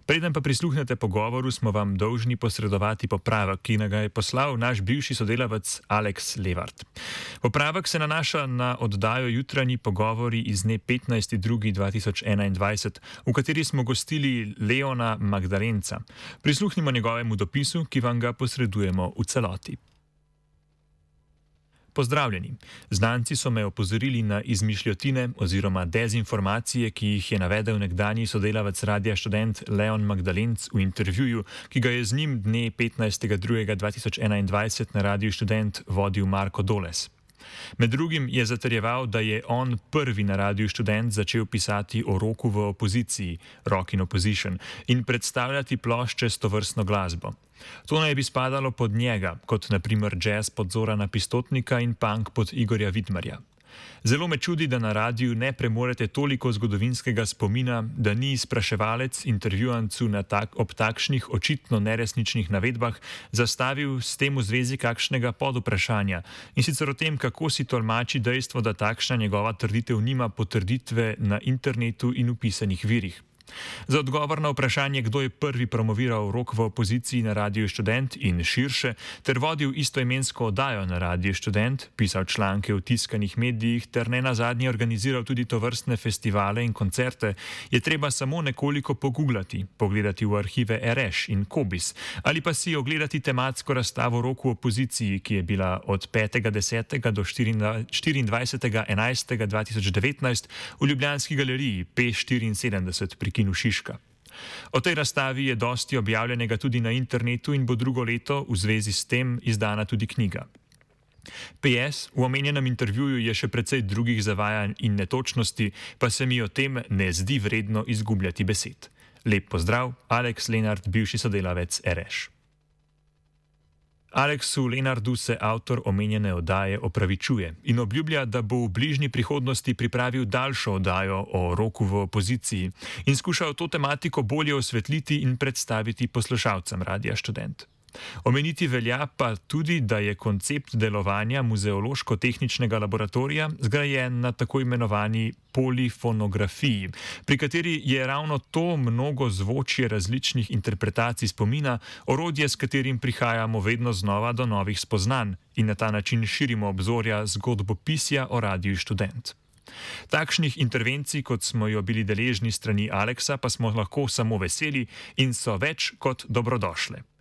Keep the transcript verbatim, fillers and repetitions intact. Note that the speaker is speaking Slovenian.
Preden pa prisluhnete pogovoru, smo vam dolžni posredovati popravek, ki nam ga je poslal naš bivši sodelavec Aleks Levart. Popravek se nanaša na oddajo Jutranji pogovori iz dne petnajsti drugi dva tisoč enaindvajset, v kateri smo gostili Leona Magdalenca. Prisluhnimo njegovemu dopisu, ki vam ga posredujemo v celoti. Pozdravljeni. Znanci so me opozorili na izmišljotine oziroma dezinformacije, ki jih je navedel nekdanji sodelavec Radia Študent Leon Magdalenc v intervjuju, ki ga je z njim dne petnajstega drugega dva tisoč enaindvajset na Radiu Študent vodil Marko Doles. Med drugim je zatrjeval, da je on prvi na Radiu Študent začel pisati o roku v opoziciji, Rock in Opposition, in predstavljati plošče s tovrstno glasbo. To naj bi spadalo pod njega, kot naprimer jazz pod Zorana Pistotnika in punk pod Igorja Vidmarja. Zelo me čudi, da na radiju ne premorete toliko zgodovinskega spomina, da ni spraševalec intervjuancu na tak, ob takšnih očitno neresničnih navedbah zastavil s tem v zvezi kakšnega podvprašanja, in sicer o tem, kako si tolmači dejstvo, da takšna njegova trditev nima potrditve na internetu in v pisanih virih. Za odgovor na vprašanje, kdo je prvi promoviral rock v opoziciji na Radiu Študent in širše, ter vodil istoimensko oddajo na Radiu Študent, pisal članke v tiskanih medijih ter ne nazadnje organiziral tudi tovrstne festivale in koncerte, je treba samo nekoliko pogooglati, pogledati v arhive Ereš in Kobis, ali pa si ogledati tematsko razstavo Rock v opoziciji, ki je bila od petega desetega do štiriindvajsetega enajstega dva tisoč devetnajst v ljubljanski galeriji P štiriinsedemdeset pri Kinu Šiška. O tej razstavi je dosti objavljenega tudi na internetu in bo drugo leto v zvezi s tem izdana tudi knjiga. P S. V omenjenem intervjuju je še precej drugih zavajanj in netočnosti, pa se mi o tem ne zdi vredno izgubljati besed. Lep pozdrav, Aleks Lenart, bivši sodelavec Ereš. Aleksu Lenardu se avtor omenjene oddaje opravičuje in obljublja, da bo v bližnji prihodnosti pripravil daljšo oddajo o roku v opoziciji in skušal to tematiko bolje osvetliti in predstaviti poslušalcem Radia Študent. Omeniti velja pa tudi, da je koncept delovanja muzeološko-tehničnega laboratorija zgrajen na tako imenovani polifonografiji, pri kateri je ravno to mnogo zvočje različnih interpretacij spomina orodje, s katerim prihajamo vedno znova do novih spoznanj in na ta način širimo obzorja zgodbopisja o Radiu Študent. Takšnih intervencij, kot smo jo bili deležni strani Aleksa, pa smo lahko samo veseli in so več kot dobrodošle.